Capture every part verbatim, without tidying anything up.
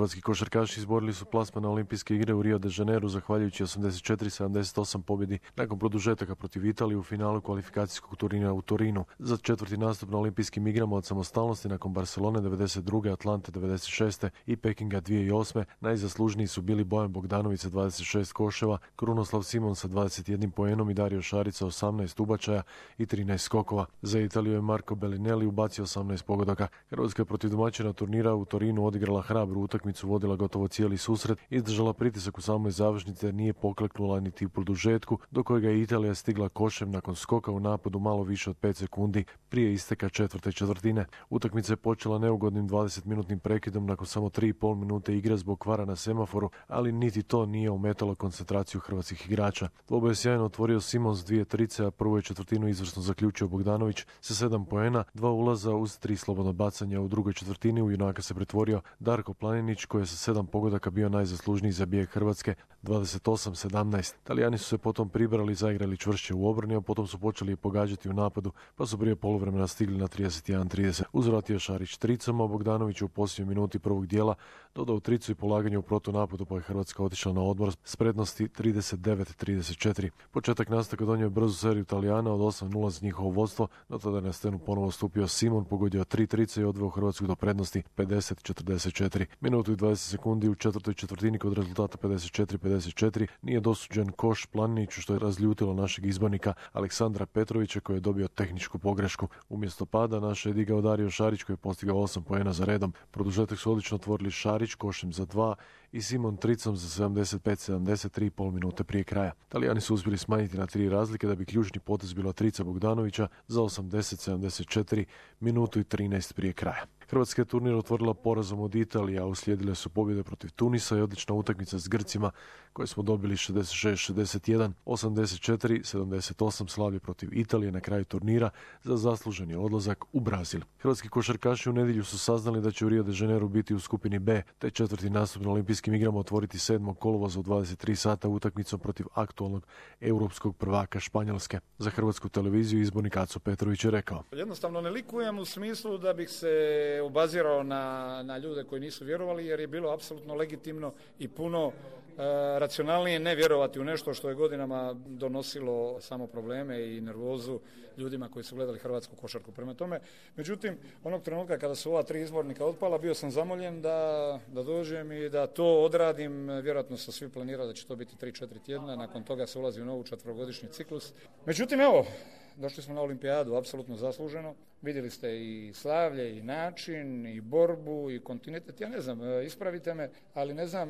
Hrvatski košarkaši izborili su plasman na olimpijske igre u Rio de Janeiru zahvaljujući osamdeset četiri sedamdeset osam pobjedi nakon produžetaka protiv Italije u finalu kvalifikacijskog turnira u Torinu. Za četvrti nastup na olimpijskim igrama od samostalnosti nakon Barcelone devedeset druge, Atlante devedeset šeste i Pekinga dvije tisuće osme najzaslužniji su bili Bojan Bogdanović sa dvadeset šest koševa, Krunoslav Simon sa dvadeset jedan poenom i Dario Šarić sa osamnaest ubačaja i trinaest skokova. Za Italiju je Marco Bellinelli ubacio osamnaest pogodaka. Hrvatska je protiv domaćina turnira u Torinu odigrala hrabru utakmicu, vodila gotovo cijeli susret, izdržala pritisak u samoj završnici jer nije pokleknula niti u produžetku, do kojega je Italija stigla košem nakon skoka u napadu malo više od pet sekundi prije isteka četvrte četvrtine. Utakmica je počela neugodnim dvadesetminutnim prekidom nakon samo tri i pol minute igre zbog kvara na semaforu, ali niti to nije ometalo koncentraciju hrvatskih igrača. Dvoboj je sjajno otvorio Simon s dvije trice, a prvu je četvrtinu izvrsno zaključio Bogdanović sa sedam poena, dva ulaza uz tri slobodno bacanja. U drugoj četvrtini u junaka se pretvorio Darko Planinić koji je sa sedam pogodaka bio najzaslužniji za bijeg Hrvatske, dvadeset osam sedamnaest. Talijani su se potom pribrali, zaigrali čvršće u obrani, a potom su počeli pogađati u napadu, pa su prije poluvremena stigli na trideset jedan trideset. Uzvratio Šarić tricama, a Bogdanović u posljednjoj minuti prvog dijela dodao tricu i polaganje u protunapadu, pa je Hrvatska otišla na odmor s prednosti trideset devet trideset četiri. Početak nastavka donio je brzu seriju Talijana od osam nula za njihovo vodstvo, no tada je na scenu ponovo stupio Simon, pogodio tri trice i odveo Hrvatsku do prednosti pedeset četrdeset četiri. Minutu i dvadeset sekundi u četvrtoj četvrtini kod rezultata pedeset četiri pedeset četiri nije dosuđen koš Planiniću, što je razljutilo našeg izbornika Aleksandra Petrovića koji je dobio tehničku pogrešku. Umjesto pada naše je digao Dario Šarić koji je postigao osam poena za redom. Produžetak su odlično otvorili Šarić košem za dva i Simon tricom za sedamdeset pet sedamdeset tri i pol minute prije kraja. Talijani su uspjeli smanjiti na tri razlike da bi ključni potez bila trica Bogdanovića za osamdeset sedamdeset četiri minutu i trinaest prije kraja. Hrvatska je turnir otvorila porazom od Italije, a uslijedile su pobjede protiv Tunisa i odlična utakmica s Grcima koje smo dobili šezdeset šest šezdeset jedan, osamdeset četiri sedamdeset osam slavlje protiv Italije na kraju turnira za zasluženi odlazak u Brazil. Hrvatski košarkaši u nedjelju su saznali da će u Rio de Janeiru biti u skupini B, te četvrti nastup na olimpijskim igrama otvoriti sedmog kolovoza u dvadeset tri sata utakmicom protiv aktualnog europskog prvaka Španjolske. Za Hrvatsku televiziju izbornik Aco Petrović je rekao: Jednostavno ne likujem u smislu da bih se obazirao na, na ljude koji nisu vjerovali, jer je bilo apsolutno legitimno i puno e, racionalnije ne vjerovati u nešto što je godinama donosilo samo probleme i nervozu ljudima koji su gledali hrvatsku košarku. Prema tome, međutim, onog trenutka kada su ova tri izbornika otpala, bio sam zamoljen da, da dođem i da to odradim. Vjerojatno su svi planirali da će to biti tri četiri tjedna, nakon toga se ulazi u novu četverogodišnji ciklus. Međutim, evo, došli smo na olimpijadu apsolutno zasluženo. Vidjeli ste i slavlje, i način, i borbu, i kontinuitet. Ja ne znam, ispravite me, ali ne znam,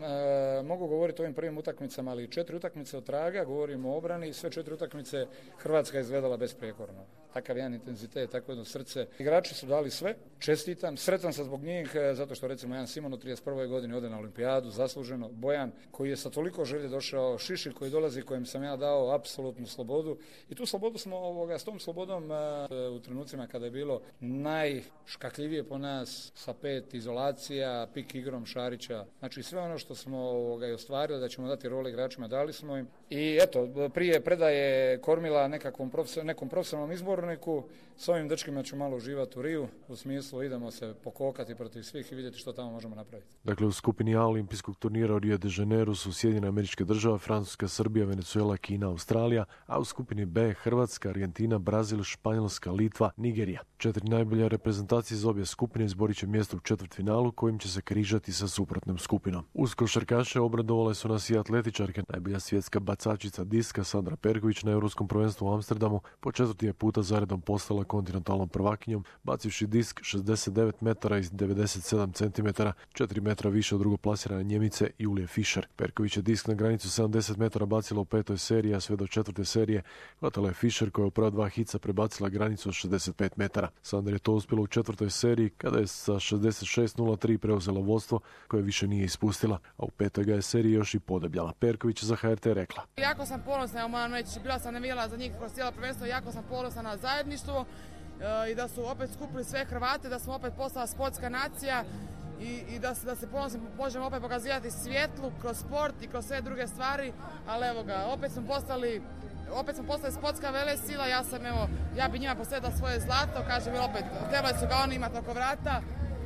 mogu govoriti o ovim prvim utakmicama, ali četiri utakmice od traga, govorimo o obrani, sve četiri utakmice Hrvatska je izgledala besprijekorno. Takav jedan intenzitet, takvo jedno srce. Igrači su dali sve, čestitam, sretan sam zbog njih, zato što recimo jedan Simon u trideset prvoj godini ode na olimpijadu, zasluženo, Bojan koji je sa toliko želje došao, Šišir koji dolazi, kojem sam ja dao apsolutnu slobodu i tu slobodu smo ovoga, s tom slobodom u trenucima kada je bilo najškakljivije po nas sa pet izolacija, pik igrom Šarića. Znači sve ono što smo ovoga, i ostvarili da ćemo dati role igračima, dali smo im. I eto, prije predaje kormila nekakvom profesor, nekom profesionalnom izborniku, s ovim dečkima ću malo uživati u Riju, u smislu idemo se pokokati protiv svih i vidjeti što tamo možemo napraviti. Dakle, u skupini A olimpijskog turnira u Rio de Janeiru su Sjedinjene Američke Države, Francuska, Srbija, Venezuela, Kina, Australija, a u skupini B Hrvatska, Argentina, Brazil, Španjolska, Litva, Nigerija. Četiri najbolje reprezentacije iz obje skupine izborit će mjesto u četvrtfinalu kojim će se križati sa suprotnom skupinom. Uz košarkaše obradovale su nas i atletičarke. Najbolja svjetska bacačica diska Sandra Perković na Europskom prvenstvu u Amsterdamu po četvrti je puta zaredom postala kontinentalnom prvakinjom, bacivši disk šezdeset devet metara i devedeset sedam centimetara, četiri metra više od drugoplasirane Njemice Julije Fischer. Perković je disk na granicu sedamdeset metara bacila u petoj seriji, a sve do četvrte serije hvatala je Fischer koja je u prva dva hica prebacila granicu od šezdeset pet metara. Sandra je to uspjela u četvrtoj seriji kada je sa šezdeset šest nula tri preuzela vodstvo koje više nije ispustila, a u petoj ga je seriji još i podebljala. Perković za H R T rekla: Jako sam ponosna, moram reći, bila sam navijala za njih kroz cijelo prvenstvo, jako sam ponosna na zajedništvo i da su opet skupili sve Hrvate, da smo opet postala sportska nacija i, i da se, da se ponosno možemo opet pokazivati svjetlu kroz sport i kroz sve druge stvari, ali evo ga, opet smo postali Opet smo postali sportska velesila, ja sam evo, ja bi njima posvetila svoje zlato, kažem opet, trebali su ga oni imati oko vrata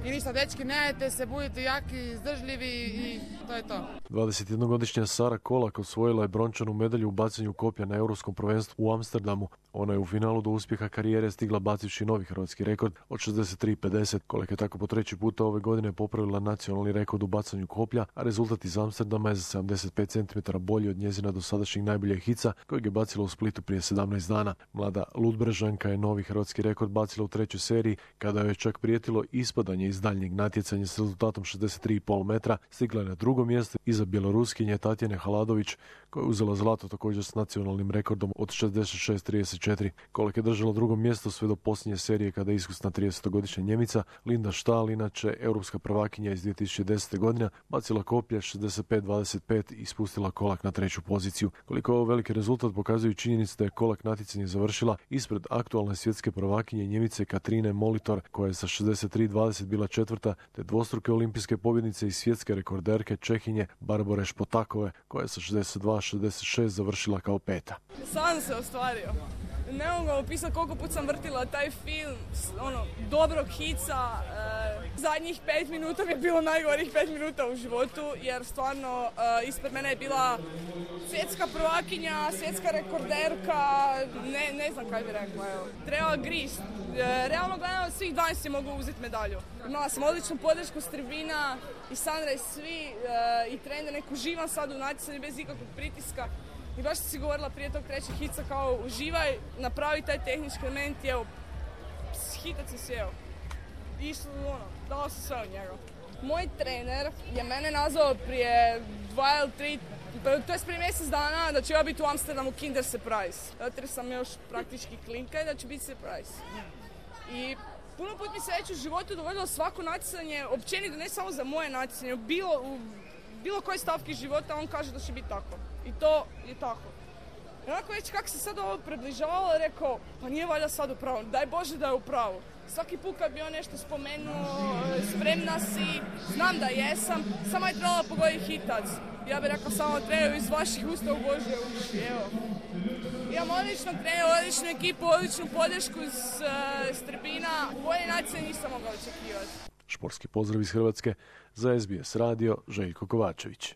I ništa, dečki, nejete se, budite jaki, izdržljivi i to je to. dvadesetjednogodišnja Sara Kolak osvojila je brončanu medalju u bacanju koplja na Europskom prvenstvu u Amsterdamu. Ona je u finalu do uspjeha karijere stigla bacivši novi hrvatski rekord od šezdeset tri pedeset. Kolek je tako po treći puta ove godine popravila nacionalni rekord u bacanju koplja, a rezultat iz Amsterdama je za sedamdeset pet centimetara bolji od njezina dosadašnjeg najboljeg hica kojeg je bacila u Splitu prije sedamnaest dana. Mlada Ludbrežanka je novi hrvatski rekord bacila u trećoj seriji kada joj je čak prijetilo ispadanje iz daljnjeg natjecanja s rezultatom šezdeset tri zarez pet metra. Stigla je na drugo mjesto iza Bjeloruskinje Tatjane Haladović koja je uzela zlato također s nacionalnim rekordom od šezdeset šest zarez trideset četiri. Kolek je držala drugo mjesto sve do posljednje serije kada je iskusna tridesetogodišnja Njemica Linda Stahl, inače europska prvakinja iz dvije tisuće desete. godine, bacila koplje šezdeset pet dvadeset pet i spustila Kolak na treću poziciju. Koliko je ovo veliki rezultat pokazuju činjenice da je Kolak natjecanje završila ispred aktualne svjetske prvakinje Njemice Katrine Molitor koja je sa šezdeset tri dvadeset bila četvrta, te dvostruke olimpijske pobjednice i svjetske rekorderke Čehinje Barbore Špotakove koja je sa šezdeset dva šezdeset šest završila kao peta. Sam se ostvario. Ne mogu vam opisati koliko put sam vrtila taj film, ono, dobrog hica. E, zadnjih pet minuta mi je bilo najgorih pet minuta u životu, jer stvarno e, ispred mene je bila svjetska prvakinja, svjetska rekorderka, ne, ne znam kaj bi rekla, evo. Treba grist. E, realno gledano, svih dvanaest je mogu uzeti medalju. Imala sam odličnu podršku s tribina i Sandra i svi, e, i trener, neku uživam sad u natjecanju bez ikakvog pritiska. I baš sam si govorila prije tog trećeg hica kao uživaj, napravi taj tehnički element i evo, hitac si sjeo. Išlo, ono, dala sam sve od njega. Moj trener je mene nazvao prije dva ili tri, to je prije mjesec dana da ću ja biti u Amsterdamu Kinder Surprise. Zato jer sam još praktički klinka i da će biti surprise. I puno put mi se već u životu dogodilo svako natjecanje, općenito ne samo za moje natjecanje, bilo u bilo koje stavki života on kaže da će biti tako. I to je tako. I onako već kako se sad ovo približavalo, rekao, pa nije valjda sad u pravu, daj Bože da je u pravu. Svaki put kad bi on nešto spomenuo, spremna si, znam da jesam, samo je trebala pogoditi hitac. Ja bih rekao samo treneru iz vaših usta u Božje uši, evo. Imam odličnog trenera, odličnu ekipu, odličnu podršku s, s tribina, bolje natjecanje nisam mogao očekivati. Športski pozdrav iz Hrvatske za S B S radio, Željko Kovačević.